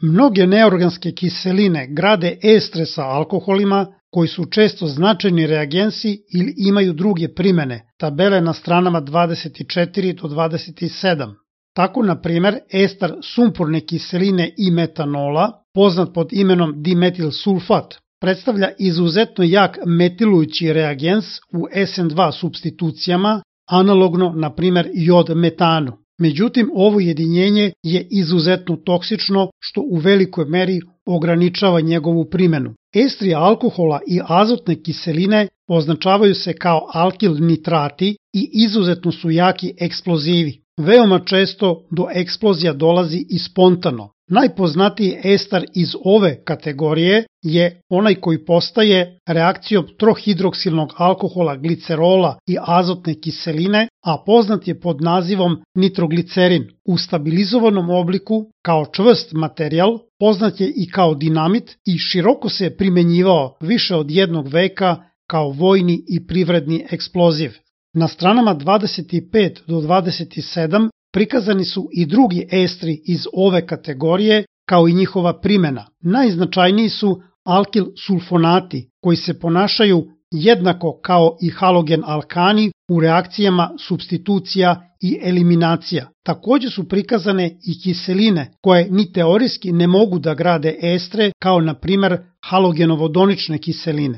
Mnoge neorganske kiseline grade estre sa alkoholima koji su često značajni reagensi ili imaju druge primene, tabele na stranama 24 do 27. Tako, na primer, ester sumporne kiseline i metanola, poznat pod imenom dimetil sulfat, predstavlja izuzetno jak metilujući reagens u SN2 supstitucijama, analogno, na primer, jod metanu. Međutim, ovo jedinjenje je izuzetno toksično, što u velikoj meri ograničava njegovu primenu. Estri alkohola i azotne kiseline označavaju se kao alkil nitrati i izuzetno su jaki eksplozivi. Veoma često do eksplozija dolazi i spontano. Najpoznatiji ester iz ove kategorije je onaj koji postaje reakcijom trohidroksilnog alkohola glicerola i azotne kiseline, a poznat je pod nazivom nitroglicerin. U stabilizovanom obliku, kao čvrst materijal, poznat je i kao dinamit i široko se primenjivao više od jednog veka kao vojni i privredni eksploziv. Na stranama 25 do 27 prikazani su i drugi estri iz ove kategorije kao i njihova primena. Najznačajniji su alkil sulfonati koji se ponašaju jednako kao i halogen alkani u reakcijama supstitucija i eliminacija. Također su prikazane i kiseline koje ni teorijski ne mogu da grade estre kao na primer halogenovodonične kiseline.